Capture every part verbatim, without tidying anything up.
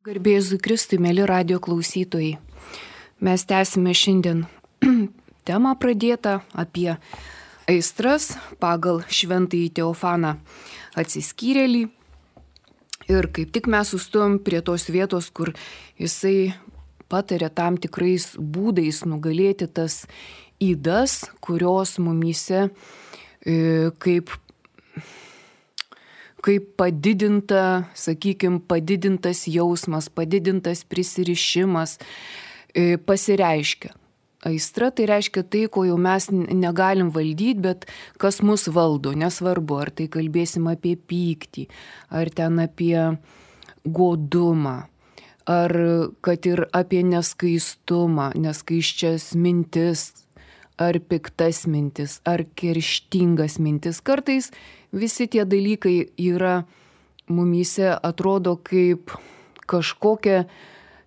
Garbėzui Kristui, mėly radio klausytojai. Mes tęsime šiandien temą pradėtą apie aistras pagal šventąjį Teofaną atsiskyrėlį. Ir kaip tik mes sustojom prie tos vietos, kur jisai patarė tam tikrais būdais nugalėti tas ydas, kurios mumyse e, kaip kaip padidinta, sakykime, padidintas jausmas, padidintas prisirišimas e, pasireiškia. Aistra tai reiškia tai, ko jau mes negalim valdyti, bet kas mus valdo, nesvarbu, ar tai kalbėsim apie pyktį, ar ten apie godumą, ar kad ir apie neskaistumą, neskaisčias mintis, ar piktas mintis, ar kerštingas mintis. Kartais visi tie dalykai yra mumyse, atrodo kaip kažkokia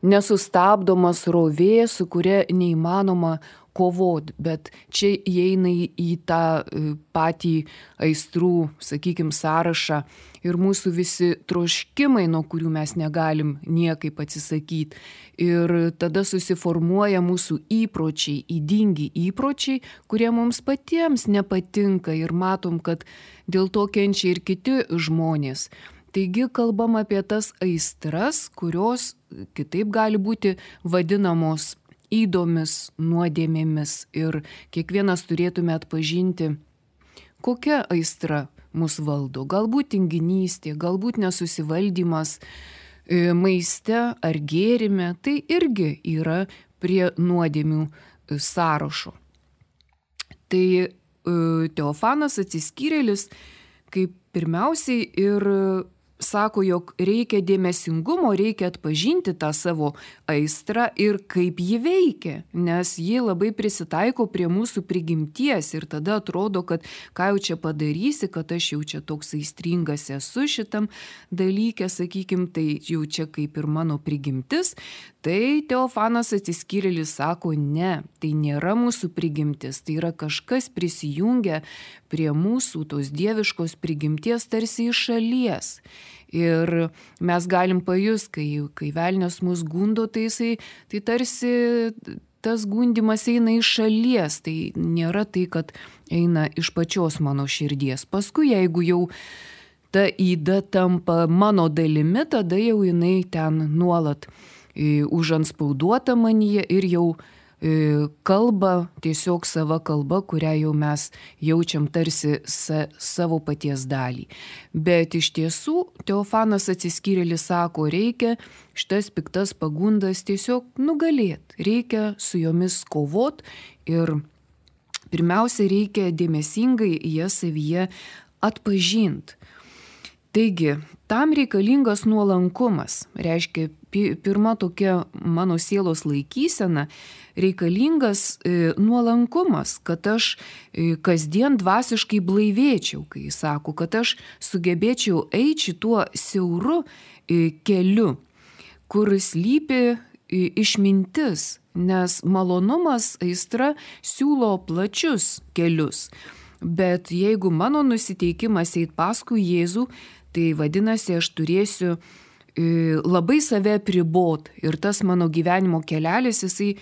nesustabdoma srovė, su kuria neįmanoma kovoti, bet čia įeina į tą patį aistrų, sakykime, sąrašą ir mūsų visi troškimai, nuo kurių mes negalim niekaip atsisakyti. Ir tada susiformuoja mūsų įpročiai, ydingi įpročiai, kurie mums patiems nepatinka ir matom, kad dėl to kenčia ir kiti žmonės. Taigi kalbam apie tas aistras, kurios kitaip gali būti vadinamos ydomis, nuodėmėmis, ir kiekvienas turėtume atpažinti, kokia aistra mus valdo. Galbūt tinginystė, galbūt nesusivaldymas maiste ar gėrime, tai irgi yra prie nuodėmių sąrašo. Tai Teofanas atsiskyrėlis kaip pirmiausiai ir sako, jog reikia dėmesingumo, reikia atpažinti tą savo aistrą ir kaip ji veikia, nes ji labai prisitaiko prie mūsų prigimties ir tada atrodo, kad ką jau čia padarysi, kad aš jau čia toks aistringas esu šitam dalyke, sakykim, tai jau čia kaip ir mano prigimtis. Tai Teofanas atsiskyrėlis sako, ne, tai nėra mūsų prigimtis, tai yra kažkas prisijungia prie mūsų tos dieviškos prigimties tarsi iš šalies. Ir mes galim pajust, kai, kai velnias mus gundo, tai, jisai, tai tarsi tas gundimas eina iš šalies, tai nėra tai, kad eina iš pačios mano širdies. Paskui, jeigu jau ta yda tampa mano dalimi, tada jau jinai ten nuolat užantspauduota manyje ir jau kalba tiesiog sava kalba, kurią jau mes jaučiam tarsi sa, savo paties dalį. Bet iš tiesų Teofanas atsiskyrėlis sako, reikia šitas piktas pagundas tiesiog nugalėti, reikia su jomis kovot ir pirmiausia reikia dėmesingai jas savyje atpažinti. Taigi, tam reikalingas nuolankumas, reiškia pirma tokia mano sielos laikysena, reikalingas e, nuolankumas, kad aš e, kasdien dvasiškai blaivėčiau, kai jis sako, kad aš sugebėčiau eiti šituo siauru e, keliu, kur slypi e, išmintis, nes malonumas, aistra siūlo plačius kelius. Bet jeigu mano nusiteikimas eit paskui Jėzų, tai vadinasi, aš turėsiu e, labai save apribot ir tas mano gyvenimo kelelis, jisai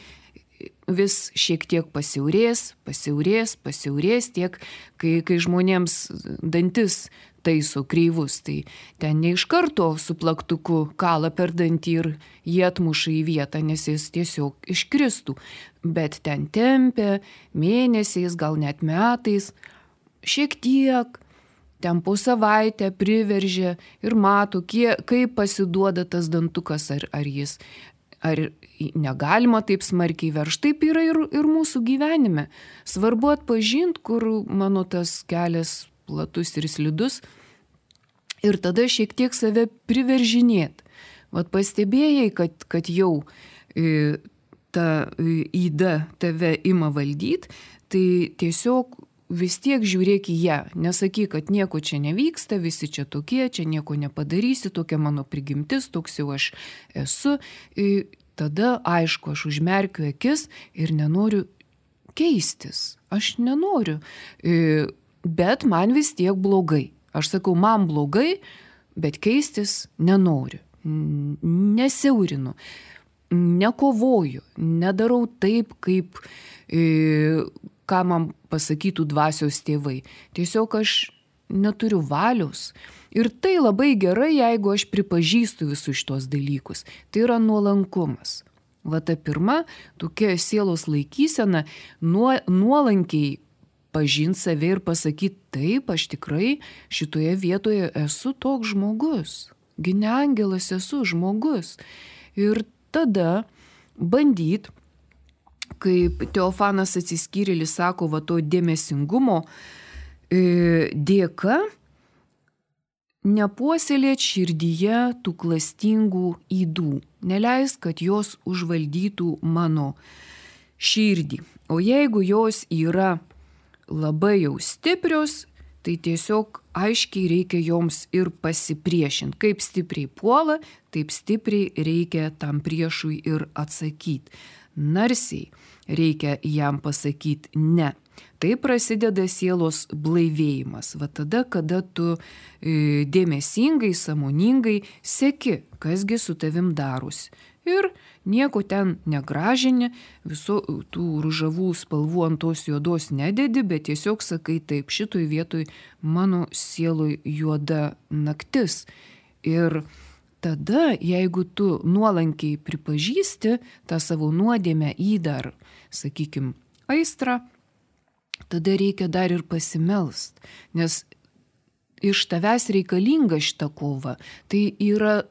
vis šiek tiek pasiaurės, pasiaurės, pasiaurės tiek, kai, kai žmonėms dantis taiso kreivus, tai ten ne iš karto su plaktuku kala per dantį ir jį atmuša į vietą, nes jis tiesiog iškristų, bet ten tempia mėnesiais, gal net metais, šiek tiek, ten po savaitę priveržia ir mato, kie, kaip pasiduoda tas dantukas, ar, ar jis, ar negalima taip smarkiai verš. Taip yra ir, ir mūsų gyvenime. Svarbu atpažinti, kur mano tas kelias platus ir slidus ir tada šiek tiek save priveržinėt. Vat pastebėjai, kad, kad jau e, ta yda tave ima valdyti, tai tiesiog vis tiek žiūrėk į ją, nesakyk, kad nieko čia nevyksta, visi čia tokie, čia nieko nepadarysi, tokia mano prigimtis, toks jau aš esu. Tada, aišku, aš užmerkiu akis ir nenoriu keistis. Aš nenoriu, bet man vis tiek blogai. Aš sakau, man blogai, bet keistis nenoriu. nesiaurinu, nekovoju, nedarau taip, kaip e, ką man pasakytų dvasios tėvai. Tiesiog aš neturiu valios. Ir tai labai gerai, jeigu aš pripažįstu visus šitos dalykus. Tai yra nuolankumas. Va ta pirma, tokia sielos laikysena, nuo, nuolankiai pažinti save ir pasakyti, taip, aš tikrai šitoje vietoje esu toks žmogus. Gi ne angelas, esu žmogus. Ir tada bandyt, kaip Teofanas Atsiskyrėlis sako, va to dėmesingumo e, dėka, nepuoselėt širdyje tų klastingų ydų. Neleis, kad jos užvaldytų mano širdį. O jeigu jos yra labai jau stiprios, tai tiesiog aiškiai reikia joms ir pasipriešinti. Kaip stipriai puola, taip stipriai reikia tam priešui ir atsakyti. Narsiai reikia jam pasakyti ne. Tai prasideda sielos blaivėjimas. Va tada, kada tu e, dėmesingai, sąmoningai seki, kasgi su tavim darosi. Ir nieko ten negražini, visų tų ružavų spalvų ant tos juodos nededi, bet tiesiog sakai taip, šitoj vietoj mano sieloj juoda naktis. Ir tada, jeigu tu nuolankiai pripažįsti tą savo nuodėmę įdar, sakykim, aistrą, tada reikia dar ir pasimelst, nes iš tavęs reikalinga šita kova. Tai yra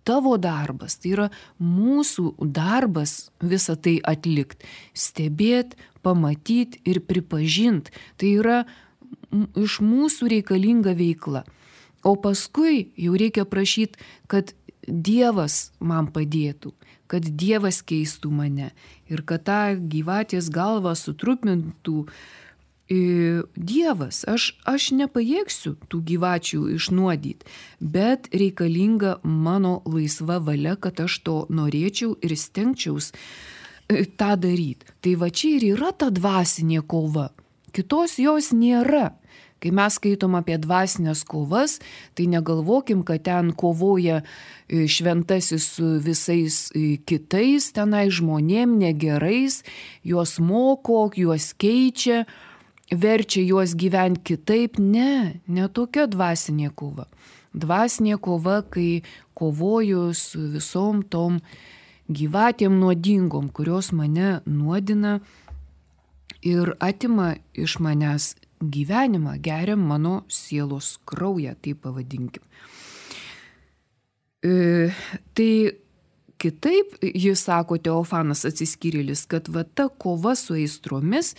tavo darbas, tai yra mūsų darbas visą tai atlikti. Stebėt, pamatyti ir pripažinti. Tai yra iš mūsų reikalinga veikla. O paskui jau reikia prašyti, kad Dievas man padėtų, kad Dievas keistų mane ir kad tą gyvatės galvą sutrupintų Dievas. Aš, aš nepajėgsiu tų gyvačių išnuodyti, bet reikalinga mano laisva valia, kad aš to norėčiau ir stengčiaus tą daryti. Tai va čia ir yra ta dvasinė kova. Kitos jos nėra. Kai mes skaitom apie dvasinės kovas, tai negalvokim, kad ten kovoja šventasis su visais kitais, tenai žmonėm negerais, juos moko, juos keičia, verčia juos gyventi kitaip. Ne, ne tokia dvasinė kova. Dvasinė kova, kai kovoju su visom tom gyvatėm nuodingom, kurios mane nuodina ir atima iš manęs gyvenimą, geria mano sielos kraują, tai pavadinkim. E, tai kitaip, jis sako Teofanas Atsiskyrėlis, kad va ta kova su aistromis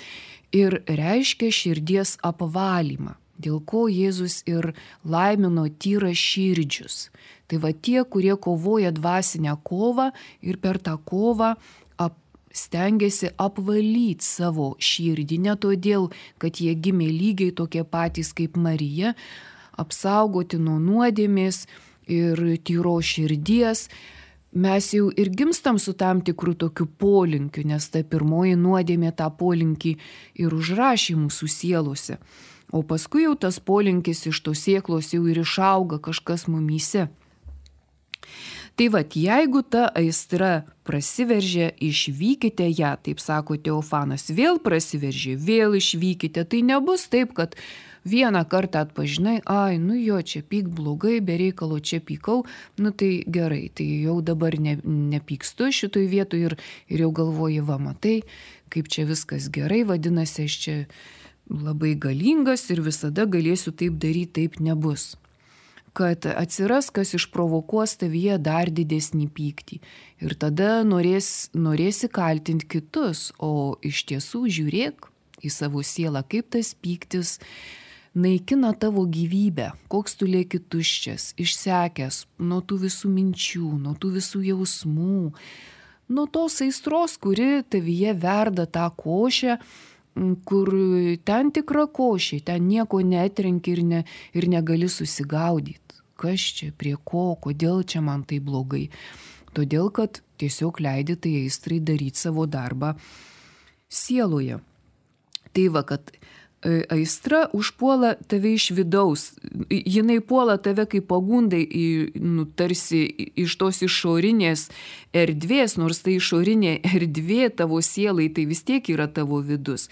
ir reiškia širdies apvalymą, dėl ko Jėzus ir laimino tyra širdžius. Tai va tie, kurie kovoja dvasinę kovą ir per tą kovą ap, stengiasi apvalyti savo širdį, ne todėl, kad jie gimė lygiai tokie patys kaip Marija, apsaugoti nuo nuodėmės ir tyro širdies. Mes jau ir gimstam su tam tikrų tokių polinkių, nes ta pirmoji nuodėmė tą polinkį ir užrašė mūsų sielose. O paskui jau tas polinkis iš tos sieklos jau ir išauga kažkas mumyse. Tai vat, jeigu ta aistra prasiveržė, išvykite ją, taip sako Teofanas, vėl prasiveržė, vėl išvykite. Tai nebus taip, kad vieną kartą atpažinai, ai, nu jo, čia pyk blogai, be reikalo čia pykau, nu tai gerai, tai jau dabar ne, nepykstu šitoj vietoj ir, ir jau galvoji, va, matai, kaip čia viskas gerai, vadinasi, aš čia labai galingas ir visada galėsiu taip daryti, taip nebus. Kad atsiras, kas išprovokuos tavyje dar didesnį pyktį. Ir tada norės, norėsi kaltinti kitus, o iš tiesų žiūrėk į savo sielą, kaip tas pyktis naikina tavo gyvybę, koks tu lieki tuščias, išsekęs nuo tų visų minčių, nuo tų visų jausmų, nuo tos aistros, kuri tavyje verda tą košę, kur ten tikra košė, ten nieko netrenki ir, ne, ir negali susigaudyti. Kas čia, prie ko, kodėl čia man tai blogai. Todėl, kad tiesiog leidi tai aistrai daryti savo darbą sieloje. Tai va, kad aistra užpuola tave iš vidaus. Jinai puola tave kaip pagundai, nu, tarsi iš tos išorinės erdvės, nors tai išorinė erdvė tavo sielai, tai vis tiek yra tavo vidus.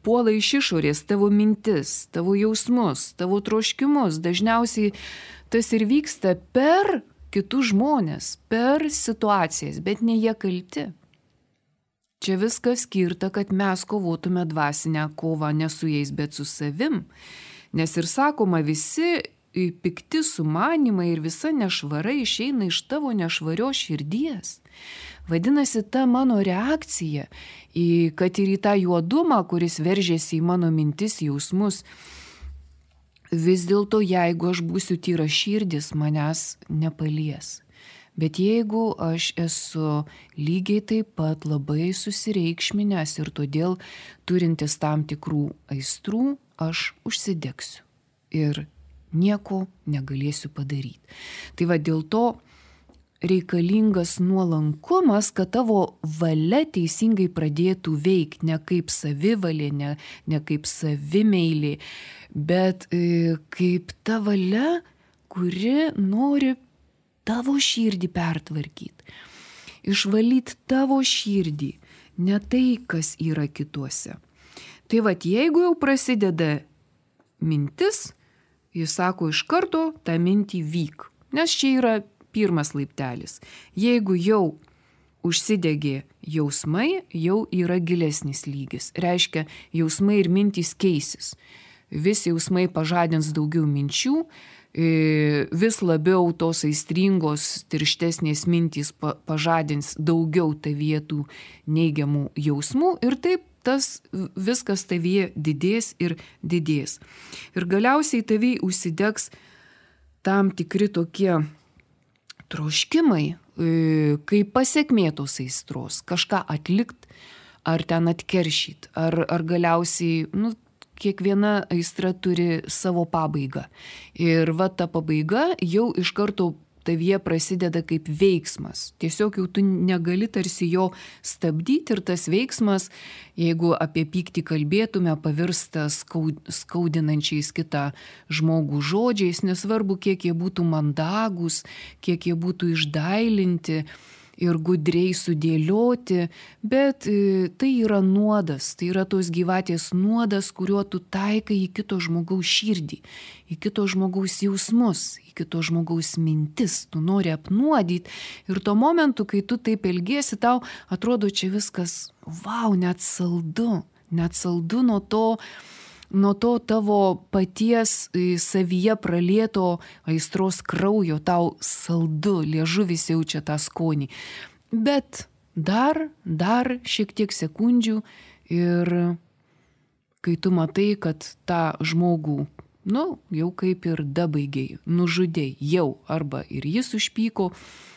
Puola iš išorės tavo mintis, tavo jausmus, tavo troškimus. Dažniausiai tas ir vyksta per kitus žmonės, per situacijas, bet ne jie kalti. Čia viskas skirta, kad mes kovotume dvasinę kovą ne su jais, bet su savim. Nes ir sakoma, visi pikti sumanimai ir visa nešvara išeina iš tavo nešvarios širdies. Vadinasi, ta mano reakcija, į, kad ir į tą juodumą, kuris veržėsi į mano mintis, jausmus, vis dėlto, jeigu aš būsiu tyra širdis, manęs nepalies. Bet jeigu aš esu lygiai taip pat labai susireikšminęs ir todėl turintis tam tikrų aistrų, aš užsidegsiu ir nieko negalėsiu padaryti. Tai va dėl to reikalingas nuolankumas, kad tavo valia teisingai pradėtų veikti, ne kaip savivalė, ne, ne kaip savimeilė, bet e, kaip ta valia, kuri nori tavo širdį pertvarkyti, išvalyti tavo širdį, ne tai, kas yra kituose. Tai vat, jeigu jau prasideda mintis, jis sako iš karto tą mintį vyk, nes čia yra pirmas laiptelis. Jeigu jau užsidegė jausmai, jau yra gilesnis lygis. Reiškia, jausmai ir mintys keisis. Vis jausmai pažadins daugiau minčių, vis labiau tos aistringos, tirštesnės mintys pažadins daugiau tavyje tų neigiamų jausmų ir taip tas viskas tavyje didės ir didės. Ir galiausiai tavyje užsidegs tam tikri tokie troškimai, kaip pasekmė tos aistros, kažką atlikt, ar ten atkeršyt, ar, ar galiausiai, nu, kiekviena aistra turi savo pabaigą. Ir va ta pabaiga jau iš karto tavyje prasideda kaip veiksmas. Tiesiog jau tu negali tarsi jo stabdyti ir tas veiksmas, jeigu apie pyktį kalbėtume, pavirsta skaudinančiais kitą žmogų žodžiais, nesvarbu, kiek jie būtų mandagus, kiek jie būtų išdailinti ir gudriai sudėlioti, bet tai yra nuodas, tai yra tos gyvatės nuodas, kuriuo tu taikai į kito žmogaus širdį, į kito žmogaus jausmus, į kito žmogaus mintis, tu nori apnuodyti ir tuo momentu, kai tu taip elgiesi, tau atrodo čia viskas, vau, net saldu, net saldu nuo to, nuo to tavo paties savyje pralieto aistros kraujo, tau saldu, liežuvis jaučia tą skonį. Bet dar, dar šiek tiek sekundžių ir kai tu matai, kad tą žmogų, nu, jau kaip ir dabaigiai, nužudėjai, jau arba ir jis užpyko,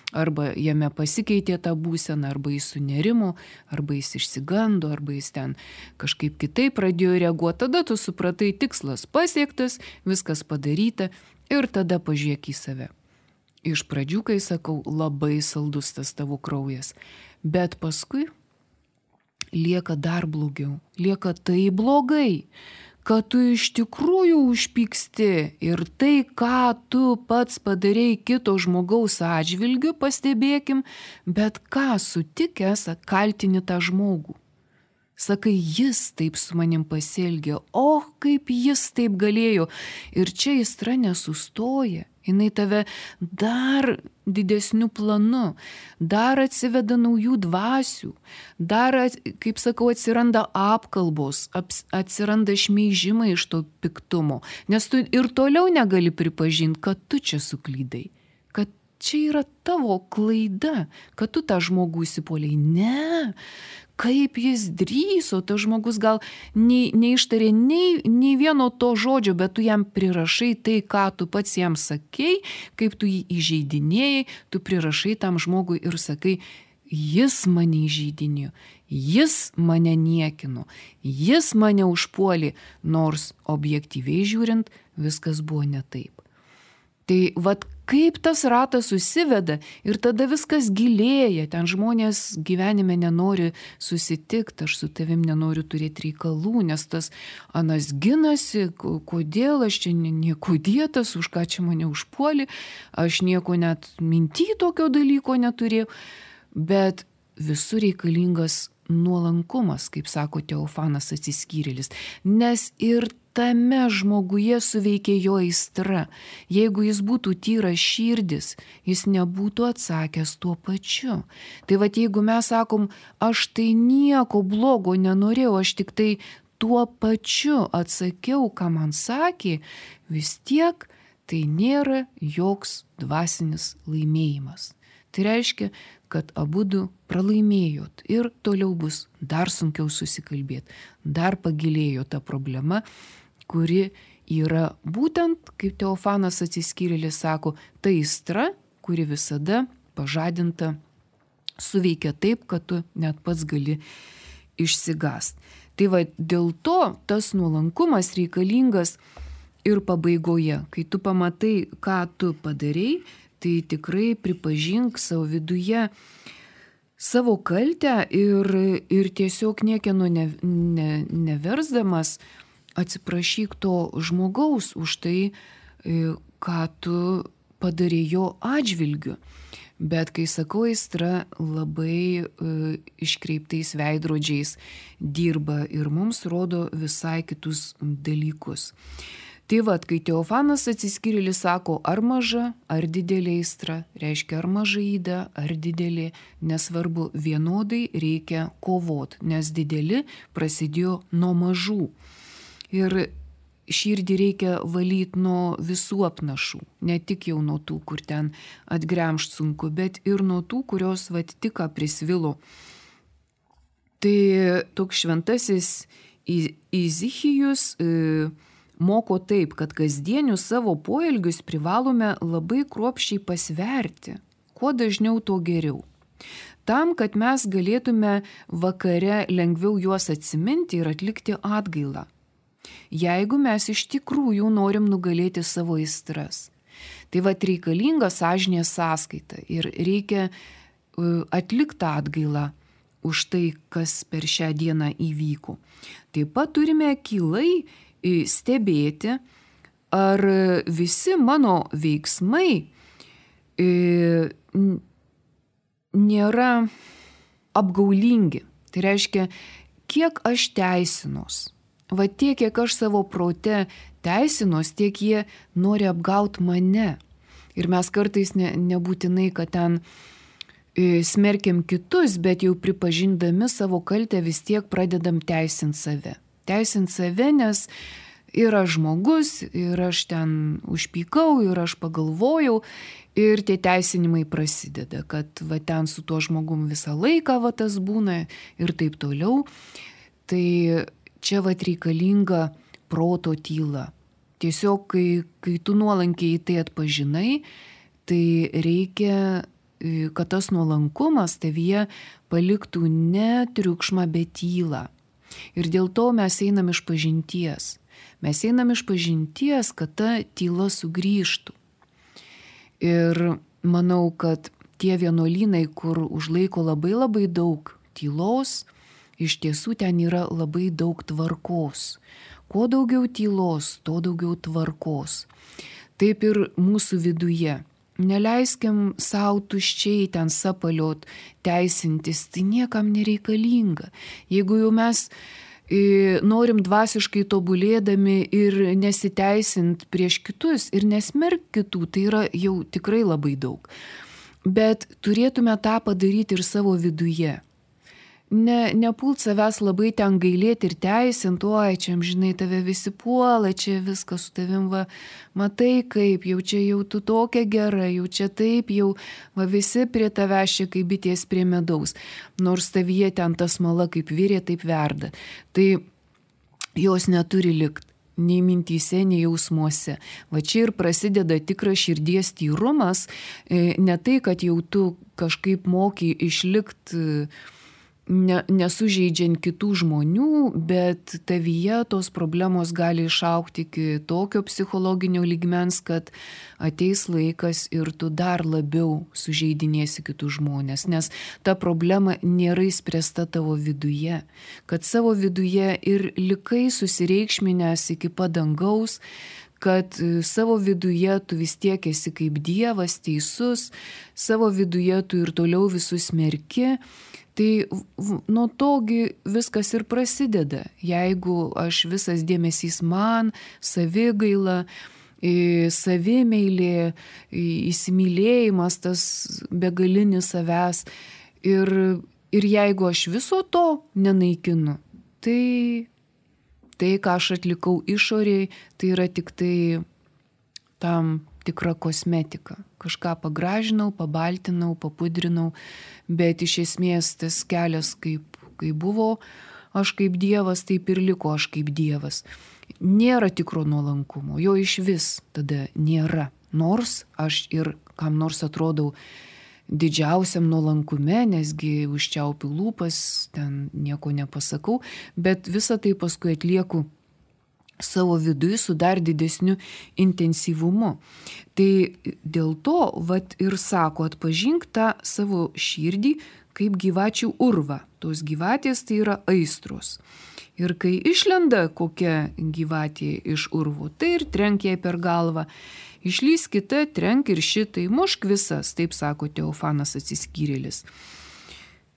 arba jame pasikeitė tą būseną, arba jis sunerimo, arba jis išsigando, arba jis ten kažkaip kitaip pradėjo reaguoti. Tada tu supratai, tikslas pasiektas, viskas padaryta ir tada pažiūrėk į save. Iš pradžių, kai sakau, labai saldus tas tavo kraujas, bet paskui lieka dar blogiau, lieka tai blogai, kad tu iš tikrųjų užpyksti ir tai, ką tu pats padarei kito žmogaus atžvilgiu, pastebėkim, bet ką sutikęs kaltini tą žmogų. Sakai, jis taip su manim pasielgė, o kaip jis taip galėjo. Ir čia aistra nesustoja, jinai tave dar didesniu planu, dar atsiveda naujų dvasių, dar, kaip sakau, atsiranda apkalbos, atsiranda šmeižimai iš to piktumo, nes tu ir toliau negali pripažinti, kad tu čia suklydai, kad čia yra tavo klaida, kad tu tą žmogų įsipuoliai. Ne, kaip jis drįso, tas žmogus gal nei, neištarė nei, nei vieno to žodžio, bet tu jam prirašai tai, ką tu pats jam sakei, kaip tu jį įžeidinėjai, tu prirašai tam žmogui ir sakai, jis mane įžeidinėjo, jis mane niekino, jis mane užpuolė, nors objektyviai žiūrint, viskas buvo ne taip. Tai vat, kaip tas ratas susiveda ir tada viskas gilėja, ten žmonės gyvenime nenori susitikti, aš su tavim nenoriu turėti reikalų, nes tas anas ginasi, kodėl aš čia nieko dėtas, už ką čia mane užpuolė, aš nieko net minty tokio dalyko neturėjau, bet visur reikalingas nuolankumas, kaip sako Teofanas Atsiskyrėlis, nes ir tame žmoguje suveikė jo aistra. Jeigu jis būtų tyras širdis, jis nebūtų atsakęs tuo pačiu. Tai va, jeigu mes sakom, aš tai nieko blogo nenorėjau, aš tik tai tuo pačiu atsakiau, ką man sakė, vis tiek tai nėra joks dvasinis laimėjimas. Tai reiškia, kad abudu pralaimėjot ir toliau bus dar sunkiau susikalbėti, dar pagilėjo ta problema, kuri yra būtent, kaip Teofanas Atsiskyrėlis sako, ta aistra, kuri visada pažadinta, suveikia taip, kad tu net pats gali išsigąst. Tai va, dėl to tas nuolankumas reikalingas ir pabaigoje, kai tu pamatai, ką tu padarei, tai tikrai pripažink savo viduje savo kaltę ir, ir tiesiog niekieno ne, ne, neversdamas atsiprašyk to žmogaus už tai, ką tu padarei jo atžvilgiu. Bet kai sakau, aistra labai e, iškreiptais veidrodžiais dirba ir mums rodo visai kitus dalykus. Tai vad, kai Teofanas Atsiskyrėlis sako, ar maža, ar didelė aistra, reiškia ar maža yda, ar didelė, nesvarbu, vienodai reikia kovot, nes dideli prasidėjo nuo mažų. Ir širdį reikia valyti nuo visų apnašų, ne tik jau nuo tų, kur ten atgremšt sunku, bet ir nuo tų, kurios vat tik prisvilo. Tai toks šventasis Izichijus e, moko taip, kad kasdienius savo poelgius privalome labai kruopščiai pasverti, kuo dažniau to geriau. Tam, kad mes galėtume vakare lengviau juos atsiminti ir atlikti atgailą. Jeigu mes iš tikrųjų norim nugalėti savo aistras. Tai vat reikalinga sąžinės sąskaita ir reikia atlikti atgailą už tai, kas per šią dieną įvyko. Taip pat turime akylai stebėti, ar visi mano veiksmai nėra apgaulingi. Tai reiškia, kiek aš teisinos. Va tiek, kiek aš savo prote teisinos, tiek jie nori apgauti mane. Ir mes kartais ne, nebūtinai, kad ten e, smerkiam kitus, bet jau pripažindami savo kaltę vis tiek pradedam teisinti save. Teisinti save, nes ir aš žmogus, ir aš ten užpykau, ir aš pagalvojau, ir tie teisinimai prasideda, kad va ten su tuo žmogum visą laiką va tas būna ir taip toliau. Tai čia vat reikalinga proto tyla. Tiesiog, kai, kai tu nuolankiai tai atpažinai, tai reikia, kad tas nuolankumas tavyje paliktų ne triukšmą, bet tylą. Ir dėl to mes einam iš pažinties. Mes einam iš pažinties, kad ta tyla sugrįžtų. Ir manau, kad tie vienuolynai, kur užlaiko labai labai daug tylos, iš tiesų ten yra labai daug tvarkos. Kuo daugiau tylos, to daugiau tvarkos. Taip ir mūsų viduje. Neleiskim savo tuščiai ten sapaliot, teisintis, tai niekam nereikalinga. Jeigu jau mes e, norim dvasiškai tobulėdami ir nesiteisint prieš kitus ir nesmerk kitų, tai yra jau tikrai labai daug. Bet turėtume tą padaryti ir savo viduje. Ne, nepult savęs labai ten gailėti ir teisint, oi, čia, žinai, tave visi puola, čia viskas su tavim, va, matai kaip, jau čia jau tu tokia gera, jau čia taip, jau va, visi prie tavęs čia kaip bitės prie medaus, nors tavyje ten tas mala kaip virė, taip verda. Tai jos neturi likti. Nei mintyse, nei jausmuose. Va čia ir prasideda tikras širdies tyrumas, ne tai, kad jau tu kažkaip moki išlikti ne, nesužeidžiant kitų žmonių, bet tavyje tos problemos gali išaukti iki tokio psichologinio lygmens, kad ateis laikas ir tu dar labiau sužeidinėsi kitus žmonės, nes ta problema nėra įspręsta tavo viduje, kad savo viduje ir likai susireikšminęs iki padangaus, kad savo viduje tu vis tiek esi kaip Dievas teisus, savo viduje tu ir toliau visus smerki. Tai nuo togi viskas ir prasideda. Jeigu aš visas dėmesys man, savigaila, savimeilė, įsimylėjimas, tas begalinis savęs. Ir, ir jeigu aš viso to nenaikinu, tai tai, ką aš atlikau išoriai, tai yra tik tai tam tikra kosmetika. Kažką pagražinau, pabaltinau, papudrinau, bet iš esmės tas kelias, kaip, kaip buvo aš kaip Dievas, taip ir liko aš kaip Dievas. Nėra tikro nuolankumo, jo iš vis tada nėra. Nors aš ir kam nors atrodau didžiausiam nuolankume, nesgi užčiaupiu lūpas, ten nieko nepasakau, bet visą tai paskui atlieku savo viduje su dar didesniu intensyvumu. Tai dėl to, vat ir sako, atpažink tą savo širdį kaip gyvačių urvą. Tos gyvatės tai yra aistros. Ir kai išlenda kokia gyvatė iš urvų, tai ir trenk jai per galvą. Išlys kita, trenk ir šitai, mušk visas, taip sako Teofanas Atsiskyrėlis.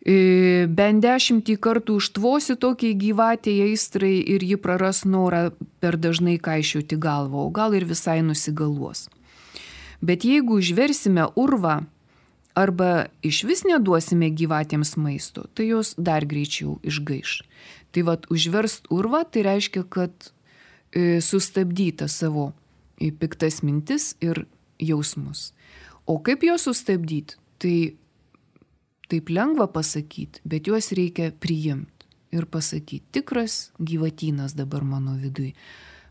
Bent dešimtį kartų užtvosi tokiai gyvatėje aistrai ir ji praras norą per dažnai kaišioti galvą, o gal ir visai nusigaluos. Bet jeigu užversime urvą arba iš vis neduosime gyvatėms maisto, tai jos dar greičiau išgaiš. Tai vat užverst urvą, tai reiškia, kad e, sustabdyta savo piktas mintis ir jausmus. O kaip juos sustabdyti? Tai taip lengva pasakyti, bet juos reikia priimti ir pasakyti, tikras gyvatynas dabar mano vidui.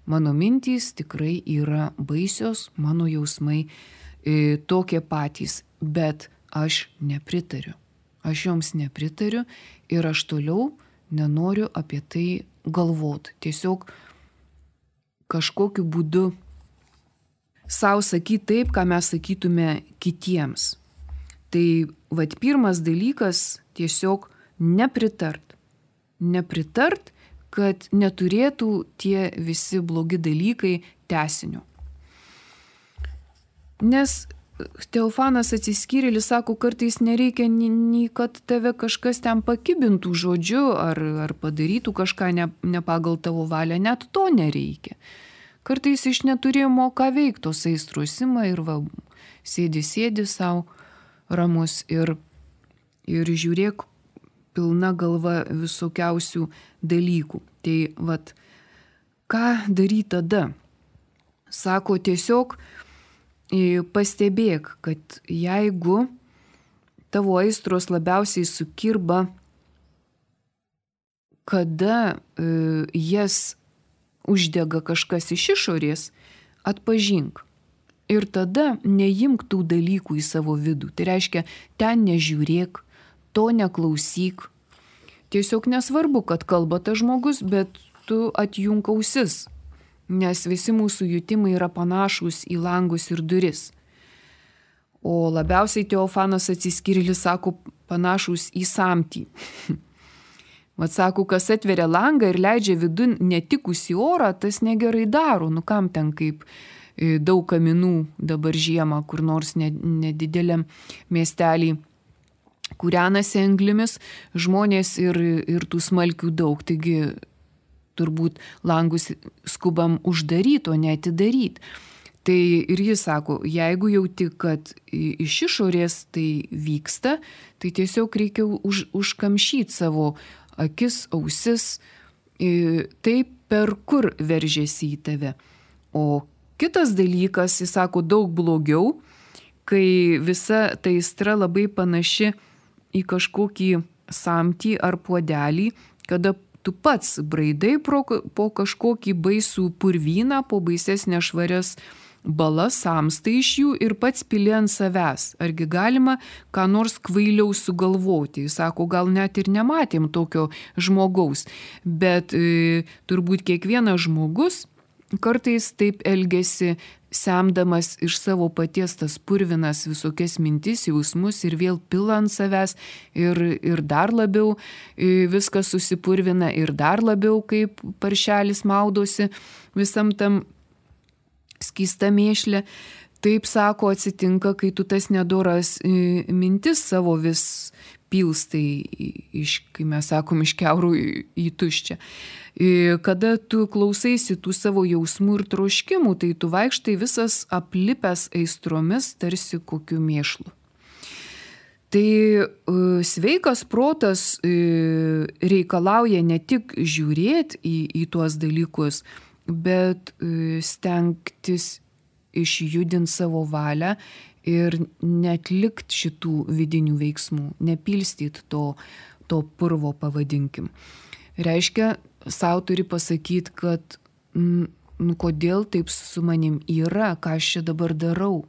Mano mintys tikrai yra baisios, mano jausmai e, tokie patys, bet aš nepritariu. Aš joms nepritariu ir aš toliau nenoriu apie tai galvoti. Tiesiog kažkokiu būdu sau sakyti taip, ką mes sakytume kitiems. Tai vat pirmas dalykas tiesiog nepritart. Nepritart, kad neturėtų tie visi blogi dalykai tęsinio. Nes Teofanas Atsiskyrėlis sako, kartais nereikia nei kad tave kažkas ten pakibintų žodžiu ar, ar padarytų kažką ne, ne pagal tavo valią, net to nereikia. Kartais iš neturėjimo ką veikti, tos aistros ima ir va, sėdi, sėdi savo ramus ir, ir žiūrėk pilna galva visokiausių dalykų. Tai vat, ką daryti tada? Sako, tiesiog pastebėk, kad jeigu tavo aistros labiausiai sukirba, kada e, jas uždega kažkas iš išorės, atpažink. Ir tada neimk tų dalykų į savo vidų. Tai reiškia, ten nežiūrėk, to neklausyk. Tiesiog nesvarbu, kad kalba tas žmogus, bet tu atjunk ausis, nes visi mūsų jutimai yra panašus į langus ir duris. O labiausiai Teofanas Atsiskyrėlis sako panašus į samtį. Vat sako, kas atveria langą ir leidžia vidun netikusį orą, tas negerai daro. Nu kam ten kaip daug kaminų dabar žiemą, kur nors nedideliam miestelį kūrenasi anglimis, žmonės ir, ir tų smalkių daug. Taigi turbūt langus skubam uždaryti, o ne atidaryti. Tai ir jis sako, jeigu jauti, kad iš išorės tai vyksta, tai tiesiog reikia už, užkamšyti savo akis, ausis, taip per kur veržiasi į tave. O kitas dalykas, jis sako, daug blogiau, kai visa ta aistra labai panaši į kažkokį samtį ar puodelį, kada tu pats braidai pro, po kažkokį baisų purvyną, po baises nešvarias bala samsta iš jų ir pats pili ant savęs. Argi galima ką nors kvailiau sugalvoti? Jis sako, gal net ir nematėm tokio žmogaus, bet e, turbūt kiekvienas žmogus kartais taip elgesi, semdamas iš savo paties tas purvinas visokias mintis, jausmus ir vėl pila ant savęs ir, ir dar labiau viskas susipurvina ir dar labiau kaip paršelis maudosi visam tam skysta mėšlė. Taip, sako, atsitinka, kai tu tas nedoras mintis savo vis pilstai, iš, kai mes sakom, iš keurų į tuščią. Kada tu klausaisi tų savo jausmų ir troškimų, tai tu vaikštai visas aplipęs aistromis, tarsi kokiu mėšlu. Tai sveikas protas reikalauja ne tik žiūrėti į, į tuos dalykus, bet stengtis išjudinti savo valią ir netlikti šitų vidinių veiksmų, nepilstyti to, to purvo, pavadinkim. Reiškia, savo turi pasakyti, kad nu, kodėl taip su manim yra, ką aš čia dabar darau,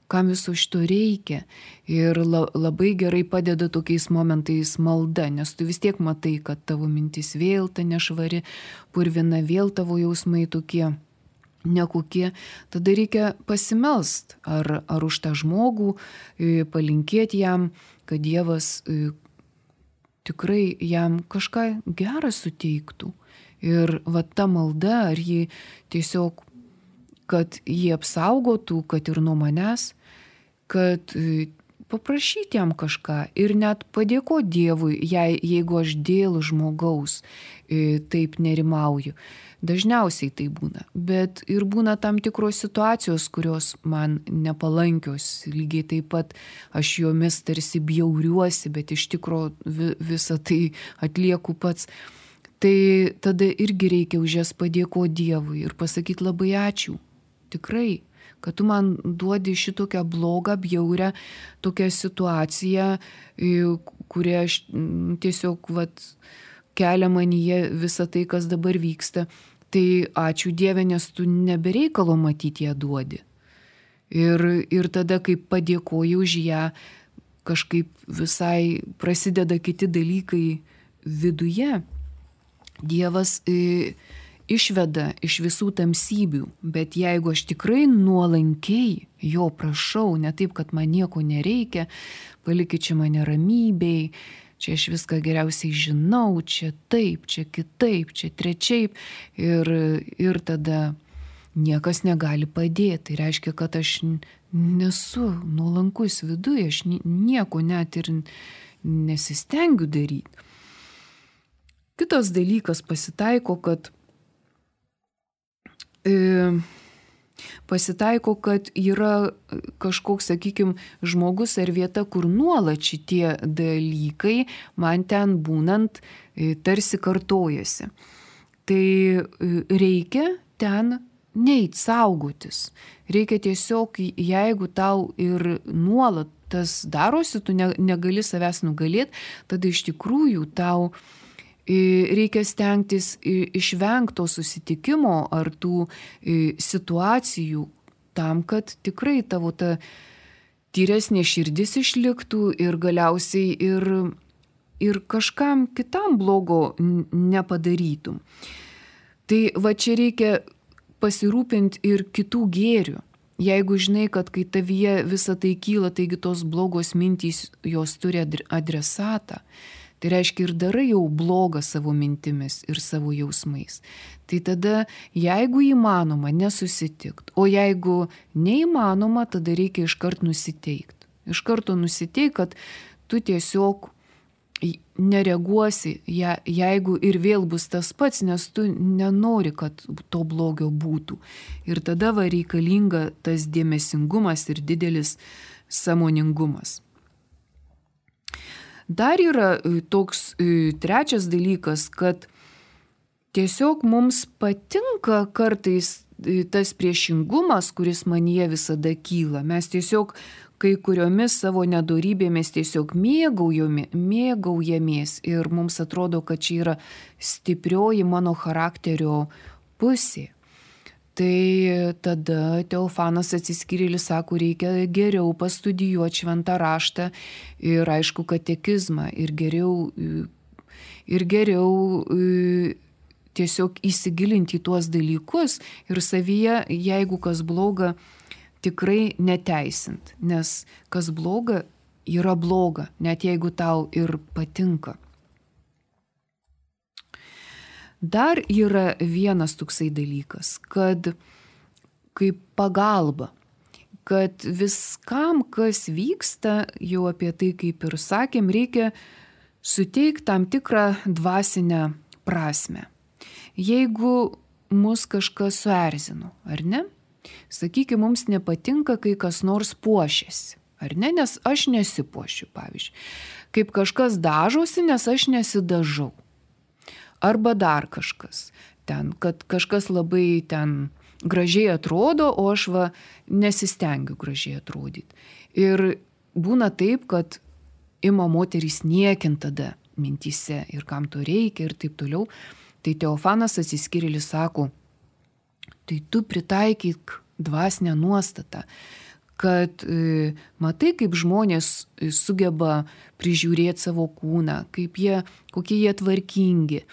kam viso šito reikia. Ir la, labai gerai padeda tokiais momentais malda, nes tu vis tiek matai, kad tavo mintis vėl ta nešvari, purvina, vėl tavo jausmai tokie nekokie. Tada reikia pasimelst ar, ar už tą žmogų, palinkėti jam, kad Dievas tikrai jam kažką gerą suteiktų. Ir va ta malda, ar jį tiesiog, kad jį apsaugotų, kad ir nuo manęs, kad paprašyti jam kažką ir net padėkoti Dievui, jei, jeigu aš dėl žmogaus taip nerimauju. Dažniausiai tai būna, bet ir būna tam tikros situacijos, kurios man nepalankios. Lygiai taip pat aš jomis tarsi bjauriuosi, bet iš tikro visą tai atlieku pats. Tai tada irgi reikia už jas padėkoti Dievui ir pasakyti labai ačiū. Tikrai, kad tu man duodi šitokią blogą, bjaurę tokią situaciją, kurią aš tiesiog vat, kelia manyje visą tai, kas dabar vyksta. Tai ačiū Dieve, nes tu nebereikalo matyti ją duodi. Ir, ir tada, kai padėkoji už ją, kažkaip visai prasideda kiti dalykai viduje. Dievas e, išveda iš visų tamsybių, bet jeigu aš tikrai nuolankiai jo prašau, ne taip, kad man nieko nereikia, palikit čia mane ramybėj, čia aš viską geriausiai žinau, čia taip, čia kitaip, čia trečiaip. Ir, ir tada niekas negali padėti. Tai reiškia, kad aš nesu nuolankus viduje, aš nieko net ir nesistengiu daryti. Kitas dalykas pasitaiko, kad e, pasitaiko, kad yra kažkoks, sakykime, žmogus ar vieta, kur nuolat šitie dalykai man ten būnant tarsi kartojasi. Tai reikia ten neit saugotis. Reikia tiesiog, jeigu tau ir nuolat tas darosi, tu negali savęs nugalėti, tada iš tikrųjų tau reikia stengtis išvengto susitikimo ar tų situacijų tam, kad tikrai tavo ta tyresnė širdis išliktų ir galiausiai ir, ir kažkam kitam blogo nepadarytum. Tai va čia reikia pasirūpinti ir kitų gėrių. Jeigu žinai, kad kai tavyje visa tai kyla, taigi tos blogos mintys jos turi adresatą, tai reiškia ir darai jau blogą savo mintimis ir savo jausmais. Tai tada, jeigu įmanoma, nesusitikt, o jeigu neįmanoma, tada reikia iškart nusiteikti. Iš karto nusiteik, kad tu tiesiog nereaguosi, jeigu ir vėl bus tas pats, nes tu nenori, kad to blogio būtų. Ir tada va reikalinga tas dėmesingumas ir didelis sąmoningumas. Dar yra toks trečias dalykas, kad tiesiog mums patinka kartais tas priešingumas, kuris manyje visada kyla. Mes tiesiog kai kuriomis savo nedorybėmis tiesiog mėgaujamės ir mums atrodo, kad čia yra stiprioji mano charakterio pusė. Tai tada Teofanas Atsiskyrėlis sako, reikia geriau pastudijuoti šventą raštą ir aišku katekizmą ir geriau, ir geriau tiesiog įsigilinti į tuos dalykus ir savyje, jeigu kas bloga, tikrai neteisint, nes kas bloga yra bloga, net jeigu tau ir patinka. Dar yra vienas toksai dalykas, kad kaip pagalba, kad viskam, kas vyksta, jau apie tai kaip ir sakėm, reikia suteikti tam tikrą dvasinę prasme. Jeigu mus kažkas suerzino, ar ne? Sakykime, mums nepatinka, kai kas nors puošiasi, ar ne? Nes aš nesipuošiu, pavyzdžiui. Kaip kažkas dažosi, nes aš nesidažau. Arba dar kažkas, ten, kad kažkas labai ten gražiai atrodo, o aš va nesistengiu gražiai atrodyti. Ir būna taip, kad ima moterys niekint tada mintyse ir kam to reikia ir taip toliau. Tai Teofanas Atsiskyrėlis sako, tai tu pritaikyk dvasinę nuostatą, kad e, matai, kaip žmonės sugeba prižiūrėti savo kūną, kaip jie, kokie jie tvarkingi.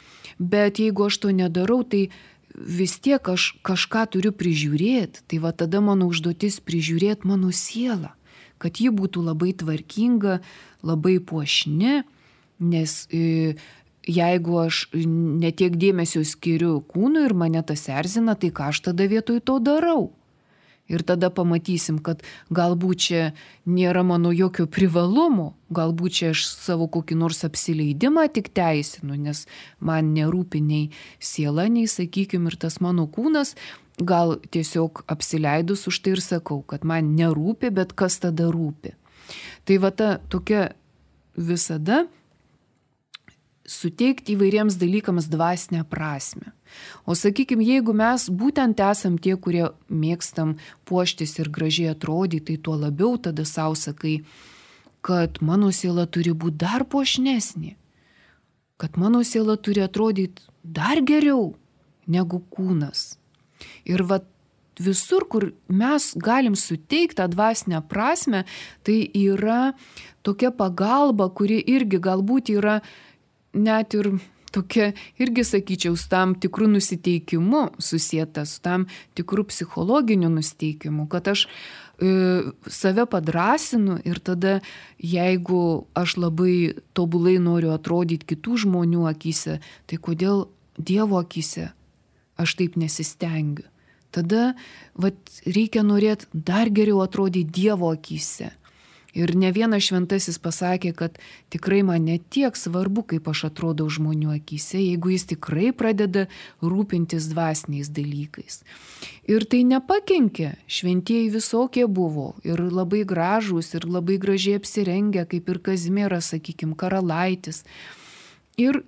Bet jeigu aš to nedarau, tai vis tiek aš kažką turiu prižiūrėti. Tai va tada mano užduotis prižiūrėti mano sielą, kad ji būtų labai tvarkinga, labai puošni, nes e, jeigu aš netiek dėmesio skiriu kūnui ir mane tas erzina, tai ką aš tada vietoj to darau? Ir tada pamatysim, kad galbūt čia nėra mano jokio privalumo, galbūt čia aš savo kokį nors apsileidimą tik teisinu, nes man nerūpi nei siela, nei, sakykime, ir tas mano kūnas, gal tiesiog apsileidus už tai ir sakau, kad man nerūpi, bet kas tada rūpi. Tai va ta tokia visada suteikti įvairiems dalykams dvasinę prasme. O sakykime, jeigu mes būtent esam tie, kurie mėgstam puoštis ir gražiai atrodyti, tai tuo labiau tada savo sakai, kad mano siela turi būti dar puošnesnė, kad mano siela turi atrodyti dar geriau negu kūnas. Ir va visur, kur mes galim suteikti tą dvasinę prasme, tai yra tokia pagalba, kuri irgi galbūt yra net ir tokia, irgi sakyčiau, su tam tikrų nusiteikimu susieta, su tam tikrų psichologiniu nusiteikimu, kad aš e, save padrasinu ir tada, jeigu aš labai tobulai noriu atrodyti kitų žmonių akyse, tai kodėl Dievo akyse aš taip nesistengiu? Tada vat, reikia norėti dar geriau atrodyti Dievo akyse. Ir ne vienas šventasis pasakė, kad tikrai man ne tiek svarbu, kaip aš atrodau žmonių akyse, jeigu jis tikrai pradeda rūpintis dvasiniais dalykais. Ir tai nepakenkė, šventieji visokie buvo ir labai gražūs, ir labai gražiai apsirengę, kaip ir Kazimieras, sakykime, karalaitis. Ir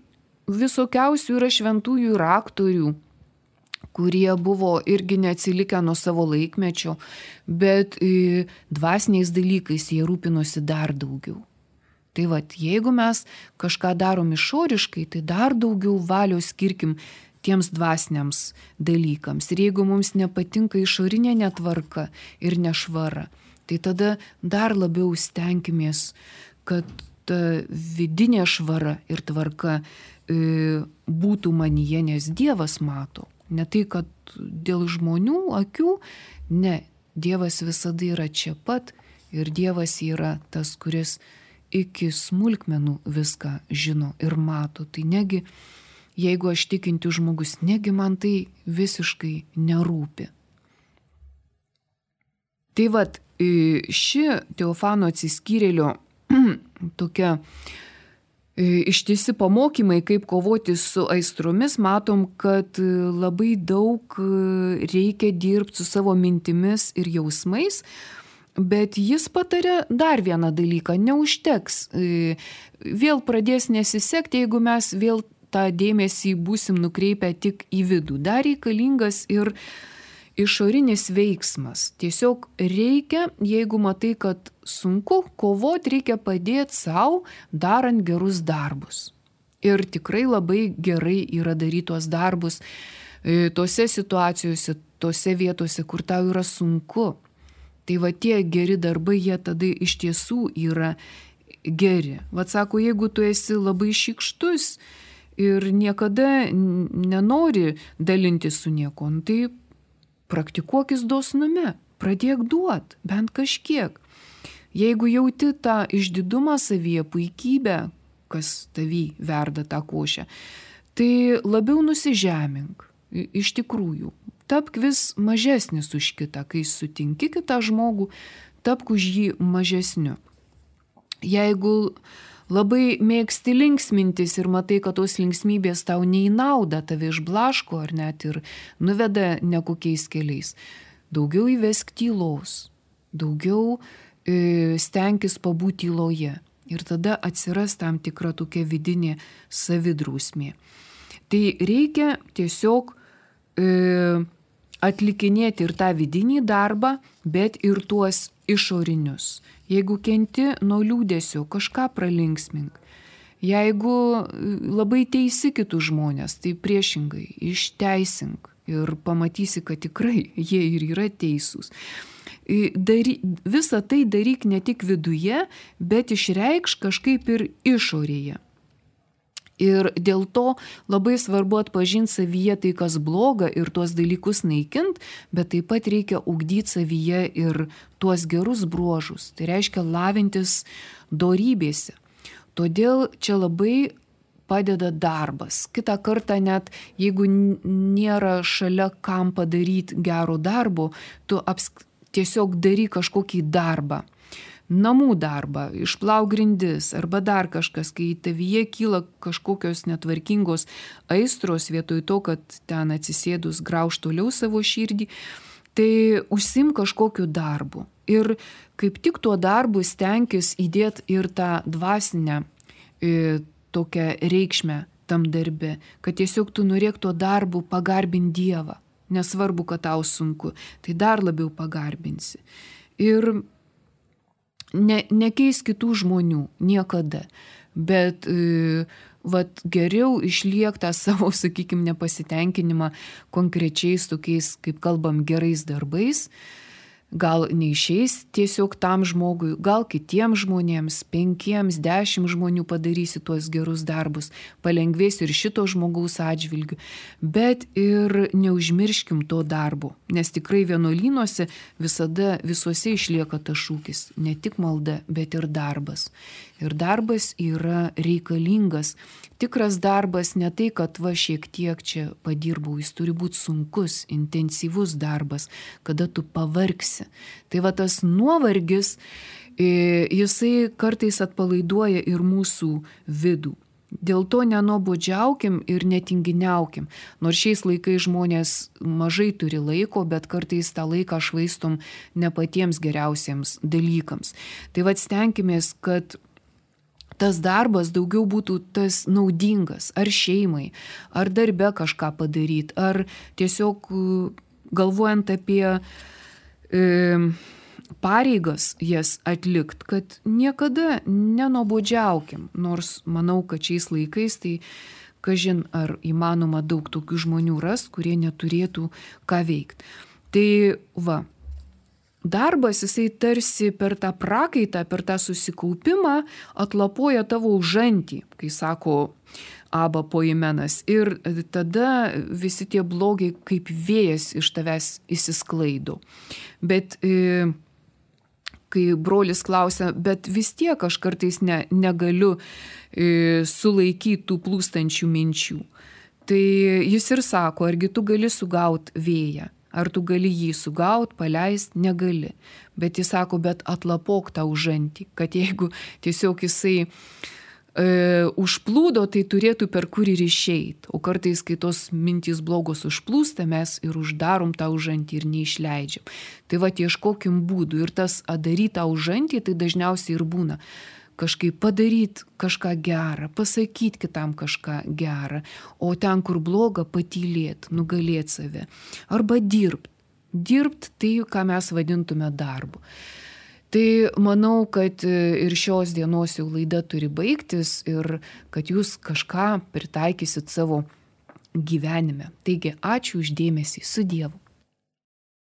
visokiausių yra šventųjų ir aktorių, kurie buvo irgi neatsilikę nuo savo laikmečio, bet e, dvasiniais dalykais jie rūpinosi dar daugiau. Tai vat, jeigu mes kažką darom išoriškai, tai dar daugiau valios skirkim tiems dvasiniams dalykams. Ir jeigu mums nepatinka išorinė netvarka ir nešvara, tai tada dar labiau stenkimės, kad ta vidinė švara ir tvarka e, būtų manyje, nes Dievas mato. Ne tai, kad dėl žmonių akių, ne, Dievas visada yra čia pat ir Dievas yra tas, kuris iki smulkmenų viską žino ir mato. Tai negi, jeigu aš tikinti žmogus, negi man tai visiškai nerūpi. Tai vat, ši Teofano Atsiskyrėlio tokia ištisi pamokymai, kaip kovoti su aistromis, matom, kad labai daug reikia dirbti su savo mintimis ir jausmais, bet jis patarė dar vieną dalyką, neužteks. Vėl pradės nesisekti, jeigu mes vėl tą dėmesį būsim nukreipę tik į vidų. Dar reikalingas ir išorinis veiksmas. Tiesiog reikia, jeigu matai, kad sunku kovoti, reikia padėti savo, darant gerus darbus. Ir tikrai labai gerai yra daryti tuos darbus, tose situacijose, tose vietose, kur tau yra sunku. Tai va tie geri darbai, jie tada iš tiesų yra geri. Vat sako, jeigu tu esi labai šykštus ir niekada nenori dalintis su nieko, tai praktikuokis dosnume, pradėk duot, bent kažkiek. Jeigu jauti tą išdidumą savyje, puikybę, kas tavy verda tą košę, tai labiau nusižemink. Iš tikrųjų, tapk vis mažesnis už kitą, kai sutinki kitą žmogų, tapk už jį mažesniu. Jeigu labai mėgsti linksmintis ir matai, kad tos linksmybės tau nei nauda, tave išblaško ar net ir nuveda nekokiais keliais, daugiau įvesk tylos, daugiau e, stenkis pabūti tyloje ir tada atsiras tam tikra tokia vidinė savidrausmė. Tai reikia tiesiog e, atlikinėti ir tą vidinį darbą, bet ir tuos išorinius. Jeigu kenti nuo liūdėsio, kažką pralinksmink. Jeigu labai teisi kitus žmonės, tai priešingai išteisink ir pamatysi, kad tikrai jie ir yra teisūs. Dary, visą tai daryk ne tik viduje, bet išreikš kažkaip ir išorėje. Ir dėl to labai svarbu atpažinti savyje tai, kas bloga ir tuos dalykus naikint, bet taip pat reikia ugdyti savyje ir tuos gerus bruožus. Tai reiškia lavintis dorybėse. Todėl čia labai padeda darbas. Kitą kartą net, jeigu nėra šalia kam padaryti gero darbo, tu apsk... tiesiog daryk kažkokį darbą. Namų darbą, išplauk grindis arba dar kažkas, kai tavyje kyla kažkokios netvarkingos aistros vietoj to, kad ten atsisėdus grauž toliau savo širdį, tai užsim kažkokiu darbu. Ir kaip tik tuo darbu stenkis įdėti ir tą dvasinę e, tokią reikšmę tam darbe, kad tiesiog tu norėk tuo darbu pagarbinti Dievą. Nesvarbu, kad tau sunku, tai dar labiau pagarbinsi. Ir Ne, nekeis kitų žmonių niekada, bet e, vat, geriau išliek tą savo, sakykime, nepasitenkinimą konkrečiais tokiais, kaip kalbam, gerais darbais. Gal neišeis tiesiog tam žmogui, gal kitiems žmonėms, penkiems, dešimt žmonių padarysi tuos gerus darbus, palengvės ir šito žmogaus atžvilgiu, bet ir neužmirškim to darbo, nes tikrai vienuolynuose visada visuose išlieka tas šūkis, ne tik malda, bet ir darbas. Ir darbas yra reikalingas. Tikras darbas ne tai, kad va šiek tiek čia padirbau, jis turi būti sunkus, intensyvus darbas, kada tu pavargsi. Tai va tas nuovargis, jisai kartais atpalaiduoja ir mūsų vidų. Dėl to nenuobodžiaukim ir netinginiaukim. Nors šiais laikais žmonės mažai turi laiko, bet kartais tą laiką švaistom ne patiems geriausiems dalykams. Tai va stenkimės, kad tas darbas daugiau būtų tas naudingas, ar šeimai, ar darbe kažką padaryti, ar tiesiog galvojant apie e, pareigas jas atlikt, kad niekada nenuobodžiaukim, nors manau, kad šiais laikais tai kažin ar įmanoma daug tokių žmonių rast, kurie neturėtų ką veikti. Tai va, darbas, jisai tarsi per tą prakaitą, per tą susikaupimą atlapoja tavo užantį, kai sako Aba Poimenas. Ir tada visi tie blogiai kaip vėjas iš tavęs įsisklaido. Bet e, kai brolis klausia, bet vis tiek aš kartais ne, negaliu e, sulaikyti tų plūstančių minčių. Tai jis ir sako, argi tu gali sugauti vėją? Ar tu gali jį sugaut, paleist, negali. Bet jis sako, bet atlapok tą užantį, kad jeigu tiesiog jisai e, užplūdo, tai turėtų per kur ir išeit. O kartais, kai tos mintys blogos užplūsta, mes ir uždarom tą užantį ir neišleidžiam. Tai va, ieškokim būdų. Ir tas daryt tą užantį, tai dažniausiai ir būna. Kažkaip padaryti kažką gerą, pasakyti kitam kažką gerą, o ten, kur bloga, patylėti, nugalėti save. Arba dirbti. Dirbti tai, ką mes vadintume darbu. Tai manau, kad ir šios dienos jau laida turi baigtis ir kad jūs kažką pritaikysit savo gyvenime. Taigi, ačiū už dėmesį. Su Dievu.